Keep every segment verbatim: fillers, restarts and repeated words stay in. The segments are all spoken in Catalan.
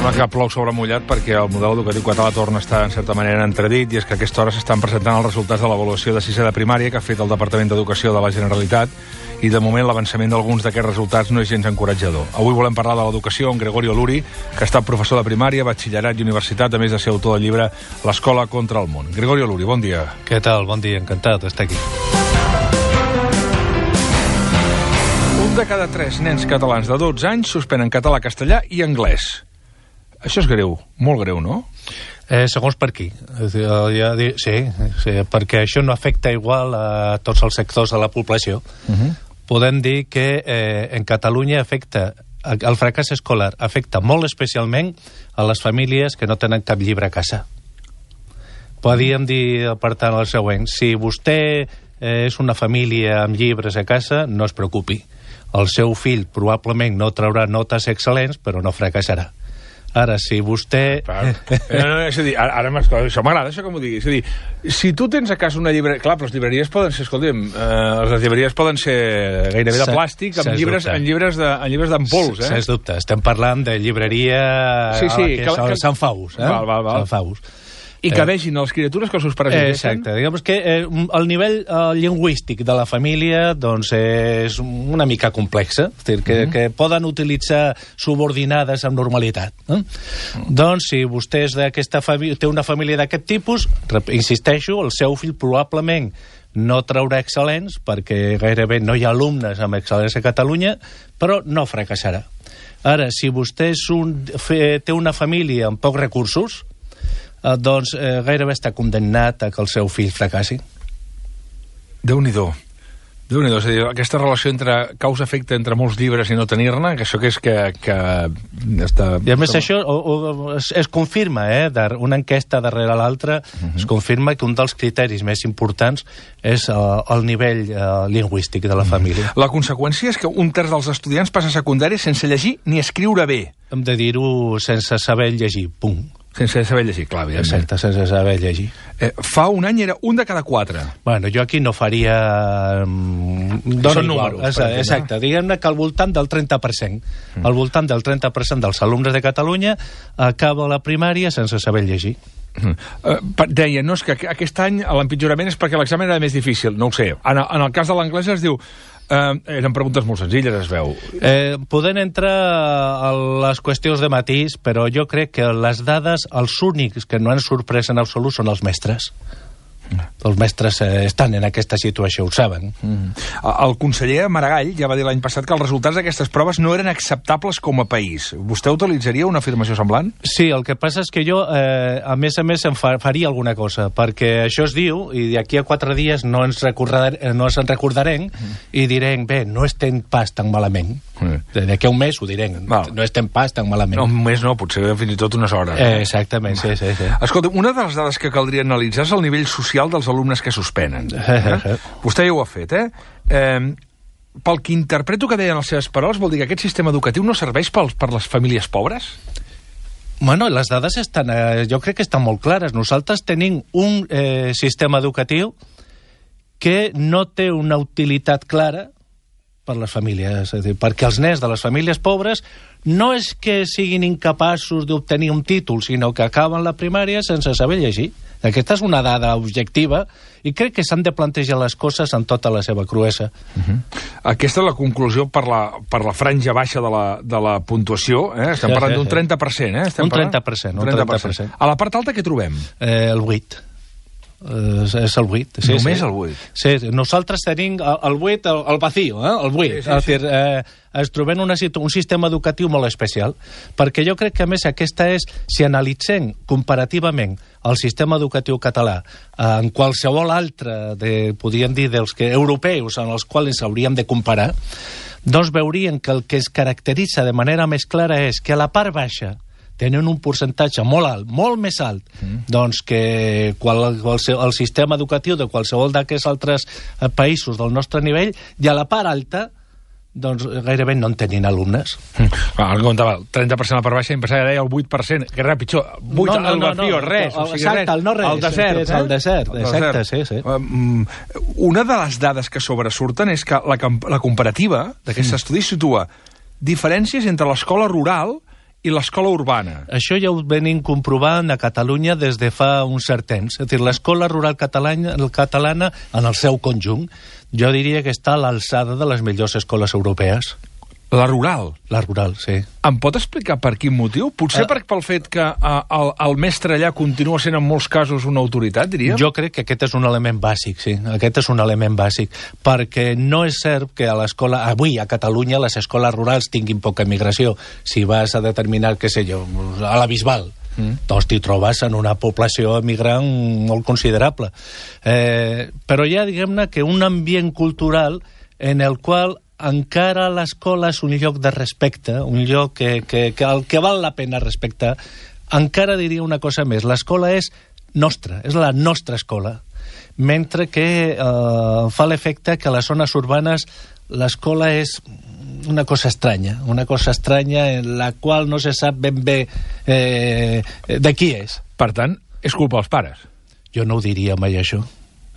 Sembla que plou sobre mullat perquè el model educatiu català torna a estar en certa manera en entredit, i és que a aquesta hora s'estan presentant els resultats de l'avaluació de sisè de primària que ha fet el Departament d'Educació de la Generalitat, i de moment l'avançament d'alguns d'aquests resultats no és gens encoratjador. Avui volem parlar de l'educació amb Gregorio Luri, que ha estat professor de primària, batxillerat i universitat, a més de ser autor del llibre L'escola contra el món. Gregorio Luri, bon dia. Què tal? Bon dia, encantat d'estar aquí. Un de cada tres nens catalans de dotze anys suspenen català, castellà i anglès. Això és greu, molt greu, no? Eh, segons per qui. Ja, sí, sí, perquè això no afecta igual a tots els sectors de la població. Uh-huh. Podem dir que eh, en Catalunya afecta, el fracàs escolar afecta molt especialment a les famílies que no tenen cap llibre a casa. Podríem dir, per tant, el següent. Si vostè eh, és una família amb llibres a casa, no es preocupi. El seu fill probablement no traurà notes excel·lents, però no fracassarà. Ara, si vostè... No, no, és a dir, ara, ara això m'agrada, això que m'ho digui. És a dir, si tu tens a casa una llibreria... Clar, però les llibreries poden ser, escolta'm, eh, les llibreries poden ser gairebé de plàstic, amb llibres, en llibres de, en llibres d'en pols, eh? Sens dubte, estem parlant de llibreria... Sí, sí, que, que, que... Sant Faus, eh? Val, val, val. Sant Faus. I que vegin les criatures que els seus pares eh, exacte, diguem que eh, el nivell eh, lingüístic de la família doncs és una mica complexa, és dir, que, uh-huh. que poden utilitzar subordinades amb normalitat. Eh? Uh-huh. Doncs si vostè és d'aquesta família, té una família d'aquest tipus, insisteixo, el seu fill probablement no traurà excel·lents, perquè gairebé no hi ha alumnes amb excel·lents a Catalunya, però no fracassarà. Ara, si vostè és un, fe, té una família amb pocs recursos, Uh, doncs eh, gairebé està condemnat a que el seu fill fracassi. Déu-n'hi-do. Déu-n'hi-do. És a dir, aquesta relació entre causa-efecte entre molts llibres i no tenir-ne, que això que és que... que està... I a més això o, o, es, es confirma, eh, una enquesta darrere l'altra, uh-huh. es confirma que un dels criteris més importants és uh, el nivell uh, lingüístic de la família. La conseqüència és que un terç dels estudiants passa secundària sense llegir ni escriure bé. Hem de dir-ho sense saber llegir, punt. Sense saber llegir, clar, evidentment. Exacte, sense saber llegir. Eh, fa un any era un de cada quatre. Bueno, jo aquí no faria... Són números. Exacte, exacte. Diguem-ne que al voltant del trenta per cent. Mm. Al voltant del trenta per cent dels alumnes de Catalunya acaba la primària sense saber llegir. Mm. Uh, deia, no, és que aquest any l'empitjorament és perquè l'examen era més difícil. No ho sé. En, en el cas de l'anglès es diu... Uh, eren preguntes molt senzilles, es veu. Eh, poden entrar a les qüestions de matís, però jo crec que les dades, els únics que no han sorprès en absolut són els mestres. Els mestres eh, estan en aquesta situació, ho saben. Mm. El conseller Maragall ja va dir l'any passat que els resultats d'aquestes proves no eren acceptables com a país. Vostè utilitzaria una afirmació semblant? Sí, el que passa és que jo, eh, a més a més, em fa, faria alguna cosa, perquè això es diu, i d'aquí a quatre dies no ens, recordar, no ens en recordarem, mm. i direm, bé, no estem pas tan malament. Mm. D'aquí a un mes ho direm, Val. no estem pas tan malament. No, un mes no, potser fins i tot unes hores. Eh, exactament, sí, sí, sí. Escolta, una de les dades que caldria analitzar és el nivell social dels alumnes que suspenen. Eh? Vostè ja ho ha fet, eh? eh? Pel que interpreto que deien les seves paraules, vol dir que aquest sistema educatiu no serveix pels, per les famílies pobres? Bueno, les dades estan, eh, jo crec que estan molt clares. Nosaltres tenim un eh, sistema educatiu que no té una utilitat clara per les famílies, és a dir, perquè els nens de les famílies pobres no és que siguin incapaços d'obtenir un títol, sinó que acaben la primària sense saber llegir. Aquesta és una dada objectiva i crec que s'han de plantejar les coses en tota la seva cruesa. Uh-huh. Aquesta és la conclusió per la, per la franja baixa de la, de la puntuació. Eh? Estem sí, parlant sí, d'un trenta per cent. Eh? Estem un trenta per cent. Un trenta per cent. A la part alta què trobem? Eh, el vuit. Uh, és el vuit. Sí, Només sí. el vuit? Sí, nosaltres tenim el vuit, el, el vacío, eh? el vuit. Sí, sí, sí. Dir, eh, es trobem una, un sistema educatiu molt especial, perquè jo crec que, a més, aquesta és, si analitzem comparativament el sistema educatiu català en qualsevol altre, de, podríem dir, dels que, europeus en els quals ens hauríem de comparar, doncs veuríem que el que es caracteritza de manera més clara és que a la part baixa tenen un percentatge molt alt, molt més alt, mm. doncs que qual, qual, el sistema educatiu de qualsevol d'aquests altres països del nostre nivell, i a la part alta, doncs gairebé no en tenien alumnes. Mm. Ah, el comptava, el trenta per cent a la part baixa, em pensava que deia el vuit per cent, que res pitjor, vuit no, no, al vacío, no, no, res, el, o sigui, exacte, res, el no res, el desert, és el desert, el exacte, desert. sí, sí. Um, una de les dades que sobresurten és que la, la comparativa d'aquest mm. estudi situa diferències entre l'escola rural i l'escola urbana. Això ja ho venim comprovant a Catalunya des de fa un cert temps. És a dir, l'escola rural catalana, catalana, en el seu conjunt, jo diria que està a l'alçada de les millors escoles europees. La rural? La rural, sí. Em pot explicar per quin motiu? Potser uh, per, pel fet que uh, el, el mestre allà continua sent en molts casos una autoritat, diríem? Jo crec que aquest és un element bàsic, sí. Aquest és un element bàsic. Perquè no és cert que a l'escola... Avui, a Catalunya, les escoles rurals tinguin poca migració. Si vas a determinar, què sé jo, a la Bisbal, mm. doncs t'hi trobes en una població emigrant molt considerable. Eh, però hi ha, diguem-ne, que un ambient cultural en el qual encara l'escola és un lloc de respecte, un lloc que, que, que el que val la pena respectar. Encara diria una cosa més, l'escola és nostra, és la nostra escola, mentre que eh, fa l'efecte que a les zones urbanes l'escola és una cosa estranya, una cosa estranya en la qual no se sap ben bé eh, de qui és. Per tant, és culpa dels pares? Jo no ho diria mai, això.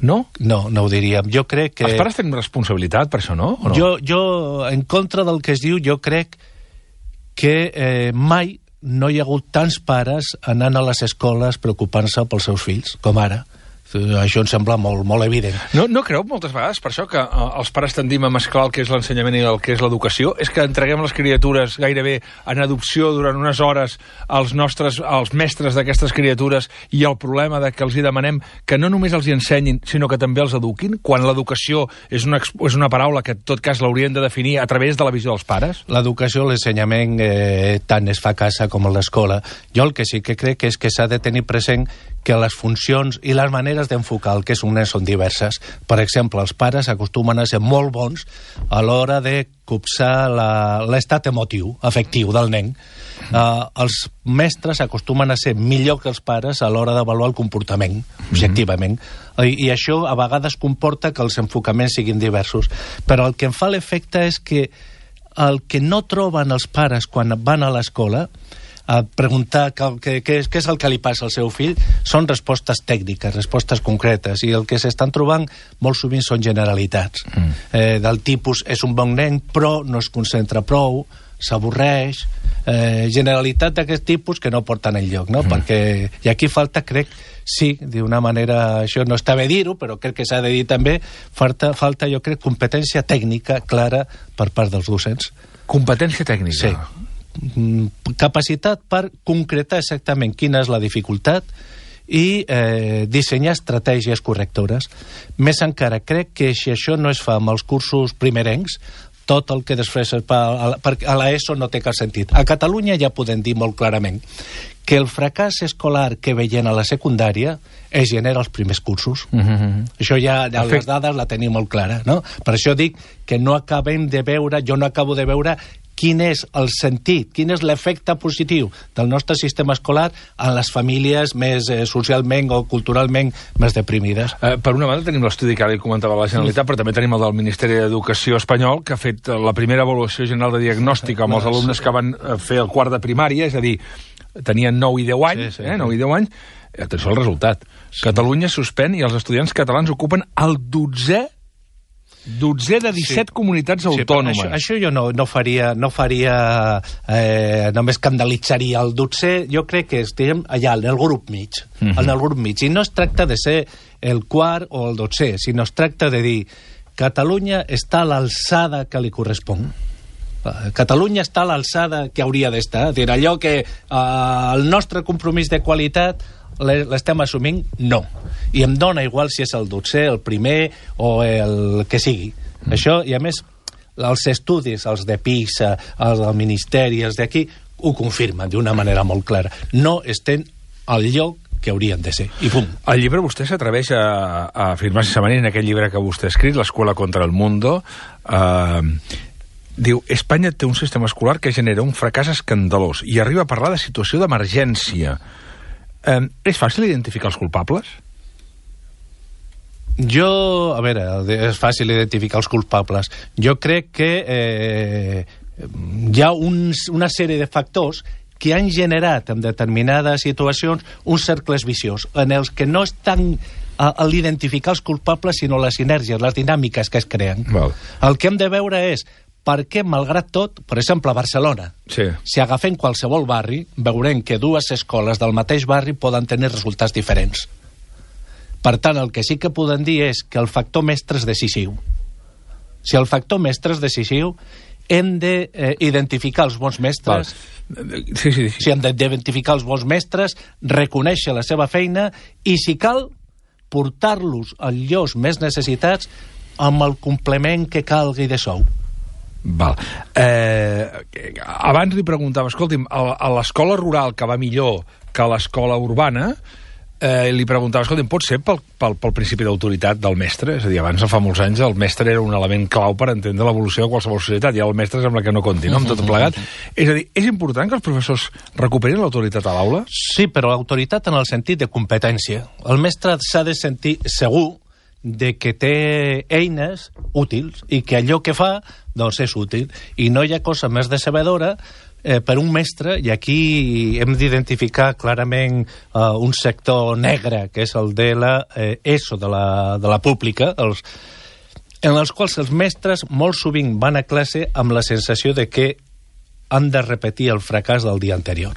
No? No, no ho diríem. Jo crec que... Els pares tenen responsabilitat per això, no? O no? Jo, jo, en contra del que es diu, jo crec que eh, mai no hi ha hagut tants pares anant a les escoles preocupant-se pels seus fills, com ara. Això em sembla molt, molt evident. No, no creu moltes vegades per això que uh, els pares tendim a mesclar el que és l'ensenyament i el que és l'educació? És que entreguem les criatures gairebé en adopció durant unes hores als nostres, als mestres d'aquestes criatures, i el problema de que els hi demanem que no només els hi ensenyin, sinó que també els eduquin, quan l'educació és una, és una paraula que en tot cas l'haurien de definir a través de la visió dels pares? L'educació, l'ensenyament, eh, tant es fa a casa com a l'escola. Jo el que sí que crec és que s'ha de tenir present que les funcions i les maneres d'enfocar el que és un nen són diverses. Per exemple, els pares acostumen a ser molt bons a l'hora de copsar l'estat emotiu, afectiu del nen. Uh, els mestres acostumen a ser millor que els pares a l'hora d'avaluar el comportament, objectivament. Mm-hmm. I, I això a vegades comporta que els enfocaments siguin diversos. Però el que em fa l'efecte és que el que no troben els pares quan van a l'escola a preguntar què és, és el que li passa al seu fill, són respostes tècniques, respostes concretes, i el que s'estan trobant molt sovint són generalitats. Mm. Eh, del tipus, és un bon nen, però no es concentra prou, s'avorreix, eh, generalitat d'aquest tipus que no porten enlloc, no? Mm. Perquè, i aquí falta, crec, sí, d'una manera, això no està bé dir-ho, però crec que s'ha de dir també, falta, falta, jo crec, competència tècnica clara per part dels docents. Competència tècnica? Sí. Capacitat per concretar exactament quina és la dificultat i eh, dissenyar estratègies correctores. Més encara, crec que si això no es fa amb els cursos primerencs, tot el que després es fa a l'ESO no té cap sentit. A Catalunya ja podem dir molt clarament que el fracàs escolar que veiem a la secundària es genera als primers cursos. Mm-hmm. Això ja, ja les dades la tenim molt clara, no? Per això dic que no acabem de veure, jo no acabo de veure quin és el sentit, quin és l'efecte positiu del nostre sistema escolar en les famílies més eh, socialment o culturalment més deprimides. Eh, per una banda tenim l'estudi que ara li comentava la Generalitat, però també tenim el del Ministeri d'Educació espanyol, que ha fet la primera avaluació general de diagnòstic amb els alumnes que van fer el quart de primària, és a dir, tenien nou i deu anys, sí, sí, eh, nou i deu anys, atenció al resultat. Sí. Catalunya suspèn i els estudiants catalans ocupen el dotzè dotzè de disset sí. comunitats autònomes. Sí, això, això jo no, no faria, no faria eh, només escandalitzaria el dotzè, jo crec que estem allà, en el grup mig, mm-hmm. en el grup mig, i no es tracta de ser el quart o el dotzè, sinó es tracta de dir Catalunya està a l'alçada que li correspon. Catalunya està a l'alçada que hauria d'estar, és dir, allò que eh, el nostre compromís de qualitat l'estem assumint, no. I em dona igual si és el dotzè, el primer o el que sigui. Mm. Això, i a més, els estudis, els de PISA, els del Ministeri, els d'aquí, ho confirmen d'una manera molt clara. No estem al lloc que haurien de ser. I pum. El llibre vostè s'atreveix a, a afirmar sense manera en aquell llibre que vostè ha escrit, L'Escuela contra el Mundo. Eh, diu, Espanya té un sistema escolar que genera un fracàs escandalós i arriba a parlar de situació d'emergència. Eh, és fàcil identificar els culpables? Jo, a veure, és fàcil identificar els culpables. Jo crec que eh, hi ha uns, una sèrie de factors que han generat en determinades situacions uns cercles viciosos, en els que no estan a, a l'identificar els culpables, sinó les sinergies, les dinàmiques que es creen. Val. El que hem de veure és perquè, malgrat tot, per exemple, a Barcelona, sí. si agafem qualsevol barri, veurem que dues escoles del mateix barri poden tenir resultats diferents. Per tant, el que sí que podem dir és que el factor mestre és decisiu. Si el factor mestre és decisiu, hem d'identificar els bons mestres, sí, sí, sí. si hem d'identificar els bons mestres, reconèixer la seva feina i, si cal, portar-los als llocs més necessitats amb el complement que calgui de sou. Val. Eh, abans li preguntava, escolti'm, a, a l'escola rural que va millor que a l'escola urbana, eh, li preguntava, escolti'm, pot ser pel, pel, pel principi d'autoritat del mestre? És a dir, abans, fa molts anys, el mestre era un element clau per entendre l'evolució de qualsevol societat, i el mestre sembla que no compti, no?, amb tot plegat. És a dir, és important que els professors recuperin l'autoritat a l'aula? Sí, però l'autoritat en el sentit de competència. El mestre s'ha de sentir segur de que té eines útils i que allò que fa, doncs, és útil. I no hi ha cosa més decebedora eh, per un mestre, i aquí hem d'identificar clarament eh, un sector negre, que és el de la eh, ESO, de la, de la pública, els, en els quals els mestres molt sovint van a classe amb la sensació de que han de repetir el fracàs del dia anterior.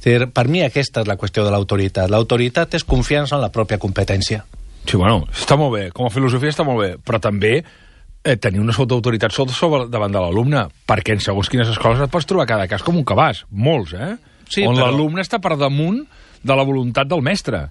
Per mi aquesta és la qüestió de l'autoritat. L'autoritat és confiança en la pròpia competència. Sí, bueno, està molt bé, com a filosofia està molt bé, però també eh, tenir una sota autoritat sobre davant de l'alumne, perquè en segons quines escoles et pots trobar cada cas com un cabàs, molts, eh? Sí, on però... l'alumne està per damunt de la voluntat del mestre.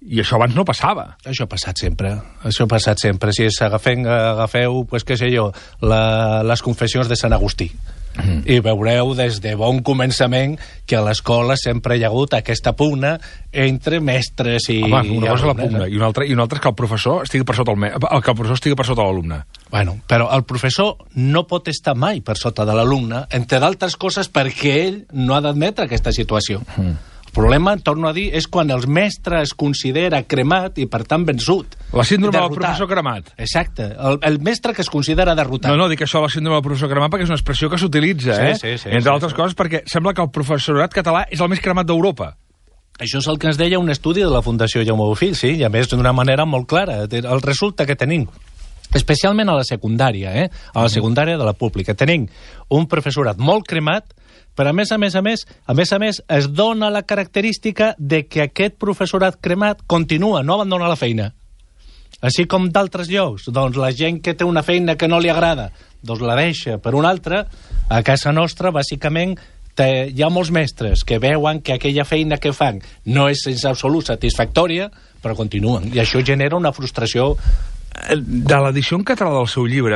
I això abans no passava. Això ha passat sempre, això ha passat sempre. Si agafem, agafeu, pues, què sé jo, la, les confessions de Sant Agustí. Mm. I veureu des de bon començament que a l'escola sempre hi ha hagut aquesta pugna entre mestres i... Home, una cosa és la pugna, i una altra, i una altra és que el professor estigui per sota el, me... que el professor estigui per sota l'alumne. Bueno, però el professor no pot estar mai per sota de l'alumne, entre d'altres coses perquè ell no ha d'admetre aquesta situació. Mm. El problema, torno a dir, és quan el mestre es considera cremat i, per tant, vençut. La síndrome del professor cremat. Exacte. El, el mestre que es considera derrotat. No, no, dic això, la síndrome del professor cremat, perquè és una expressió que s'utilitza, sí, eh? Sí, sí, Entre sí, altres sí. coses, perquè sembla que el professorat català és el més cremat d'Europa. Això és el que ens deia un estudi de la Fundació Jaume Bofill, sí, i a més d'una manera molt clara. El resulta que tenim, especialment a la secundària, eh? a la secundària de la pública, tenim un professorat molt cremat, però a més a més a més, a més a més, es dona la característica de que aquest professorat cremat continua, no abandona la feina. Així com d'altres llocs, doncs la gent que té una feina que no li agrada, doncs la deixa per una altra. A casa nostra, bàsicament, té, hi ha molts mestres que veuen que aquella feina que fan no és sense absolut satisfactòria, però continuen. I això genera una frustració. De l'edició en català del seu llibre,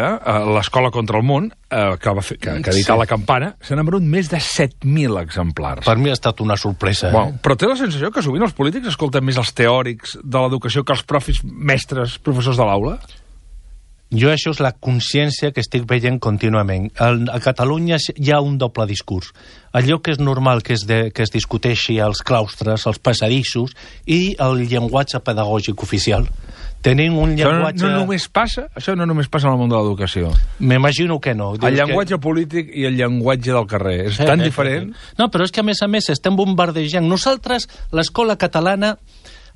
l'Escola contra el món, que va fer, que, que ha editat sí. La Campana, se n'han venut més de set mil exemplars. Per mi ha estat una sorpresa. Bueno, eh? Però té la sensació que sovint els polítics escolten més els teòrics de l'educació que els profis, mestres, professors de l'aula? Jo això és la consciència que estic veient contínuament. A Catalunya hi ha un doble discurs. Allò que és normal que es, de, que es discuteixi als claustres, als passadissos, i el llenguatge pedagògic oficial. Tenim un llenguatge... Això no, no només passa, això no només passa en el món de l'educació. M'imagino que no. El llenguatge que... polític i el llenguatge del carrer. És sí, tan sí, diferent. Sí. No, però és que a més a més estem bombardejant. Nosaltres, l'escola catalana,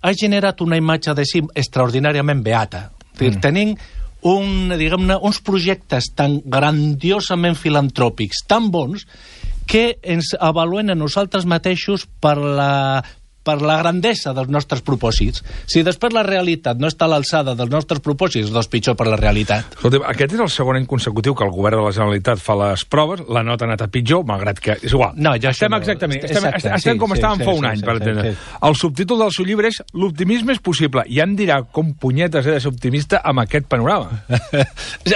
ha generat una imatge de si extraordinàriament beata. Mm. Tenim un, diguem-ne, uns projectes tan grandiosament filantròpics, tan bons, que ens avaluen a nosaltres mateixos per la... per la grandesa dels nostres propòsits. Si després la realitat no està a l'alçada dels nostres propòsits, doncs pitjor per la realitat. Escolta, aquest és el segon any consecutiu que el govern de la Generalitat fa les proves, la nota ha anat a pitjor, malgrat que... És igual. No, ja estem no. exactament, estem, Exacte, estem sí, com sí, estàvem sí, fa un sí, any, sí, per entendre. sí, sí. El subtítol del seu llibre és l'optimisme és possible. I ja em dirà com punyetes he de ser optimista amb aquest panorama.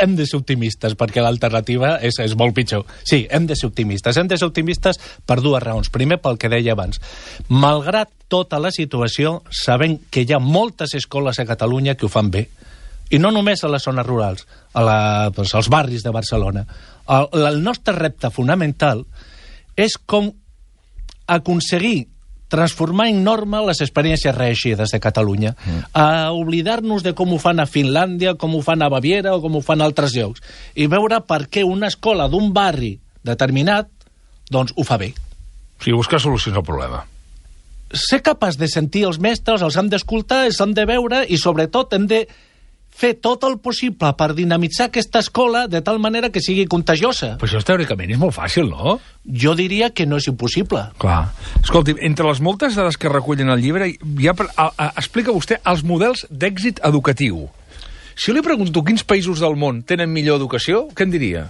Hem de ser optimistes, perquè l'alternativa és, és molt pitjor. Sí, hem de ser optimistes. Hem de ser optimistes per dues raons. Primer, pel que deia abans. Malgrat tota la situació, sabem que hi ha moltes escoles a Catalunya que ho fan bé. I no només a les zones rurals, a la, doncs, als barris de Barcelona. El, el nostre repte fonamental és com aconseguir transformar en norma les experiències reeixides de Catalunya, mm. a oblidar-nos de com ho fan a Finlàndia, com ho fan a Baviera o com ho fan a altres llocs, i veure per què una escola d'un barri determinat doncs ho fa bé. O sigui, buscar solucions al problema. Ser capaç de sentir els mestres, els hem d'escoltar, els hem de veure i, sobretot, hem de fer tot el possible per dinamitzar aquesta escola de tal manera que sigui contagiosa. Però això teòricament és molt fàcil, no? Jo diria que no és impossible. Clar. Escolti, entre les moltes dades que recullen el llibre, ja a, a, explica vostè els models d'èxit educatiu. Si li pregunto quins països del món tenen millor educació, què em diria?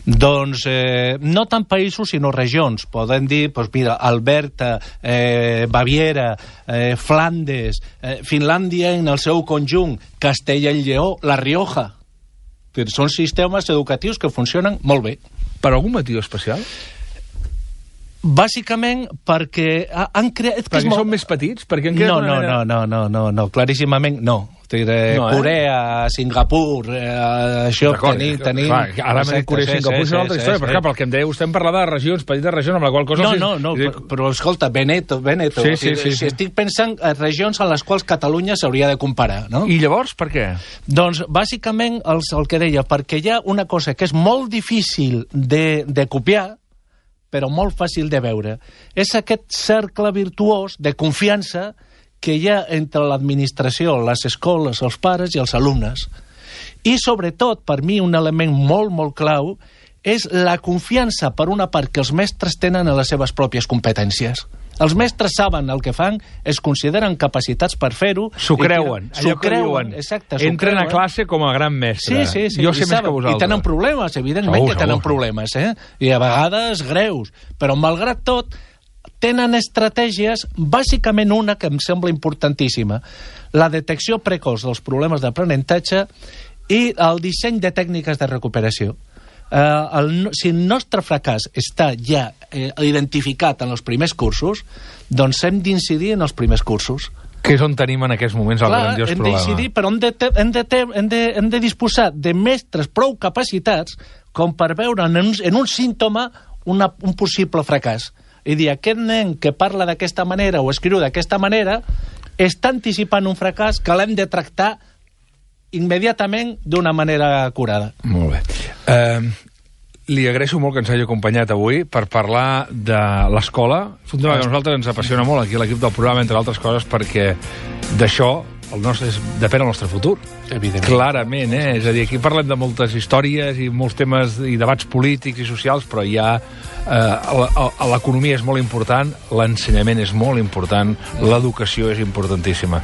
Doncs eh, no tant països, sinó regions. Podem dir, doncs mira, Alberta, eh, Baviera, eh, Flandes, eh, Finlàndia en el seu conjunt, Castella i Lleó, La Rioja. Són sistemes educatius que funcionen molt bé. Per algun motiu especial? Bàsicament perquè han creat... Perquè molt... són més petits? Perquè han creat no, una no, manera... no, no, no, no, no, claríssimament no. Eh, no, eh? Corea, Singapur, eh, això tenim... tenim clar, ara m'ha dit Corea i Singapur, és una altra història, sí, però clar, pel que em deia, vostè em parlava de regions, petites regions, amb la qual cosa... No, no, no, dic... però escolta, Veneto, Veneto, sí, sí, sí, sí. estic pensant en regions a les quals Catalunya s'hauria de comparar, no? I llavors, per què? Doncs, bàsicament, els, el que deia, perquè hi ha una cosa que és molt difícil de, de copiar, però molt fàcil de veure. És aquest cercle virtuós de confiança que hi ha entre l'administració, les escoles, els pares i els alumnes. I, sobretot, per mi, un element molt, molt clau és la confiança, per una part, que els mestres tenen en les seves pròpies competències. Els mestres saben el que fan, es consideren capacitats per fer-ho... S'ho creuen, allò que diuen. Exacte, entren a classe com a gran mestre. Sí, sí, sí. Jo sé més saben, que vosaltres. I tenen problemes, evidentment segur, que tenen segur. problemes, eh? I a vegades greus. Però, malgrat tot, tenen estratègies, bàsicament una que em sembla importantíssima, la detecció precoç dels problemes d'aprenentatge i el disseny de tècniques de recuperació. Eh, el, si el nostre fracàs està ja eh, identificat en els primers cursos, doncs hem d'incidir en els primers cursos. Que és on tenim en aquests moments el Clar, grandiós hem problema. Decidir, però hem de, hem, de, hem, de, hem de disposar de mestres prou capacitats com per veure en un, en un símptoma una, un possible fracàs. I dir, aquest nen que parla d'aquesta manera o escriu d'aquesta manera està anticipant un fracàs que l'hem de tractar immediatament d'una manera curada. Molt bé. Uh, li agraeixo molt que ens hagi acompanyat avui per parlar de l'escola. És un tema que a nosaltres ens apassiona molt aquí a l'equip del programa, entre altres coses, perquè d'això el nostre, és, depèn el nostre futur. Evidentment. Clarament, eh? És a dir, aquí parlem de moltes històries i molts temes i debats polítics i socials, però hi ha... Eh, l'economia és molt important, l'ensenyament és molt important, l'educació és importantíssima.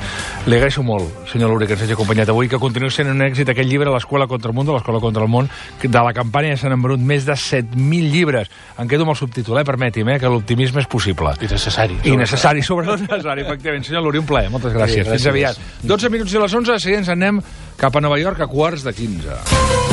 Li agraeixo molt, senyor Luri, que ens hagi acompanyat avui, que continuï sent un èxit aquest llibre, l'Escola contra el Mundo, l'Escola contra el Món, de la campanya s'han embrut més de set mil llibres. Em quedo amb el subtítol, eh? Permeti'm, eh? Que l'optimisme és possible. I necessari. I necessari, sobretot necessari, efectivament. Senyor Luri, un plaer, moltes gràcies. Sí, gràcies. Fins aviat. dotze minuts i les onze, seguint ens anem cap a Nova York a quarts de quinze.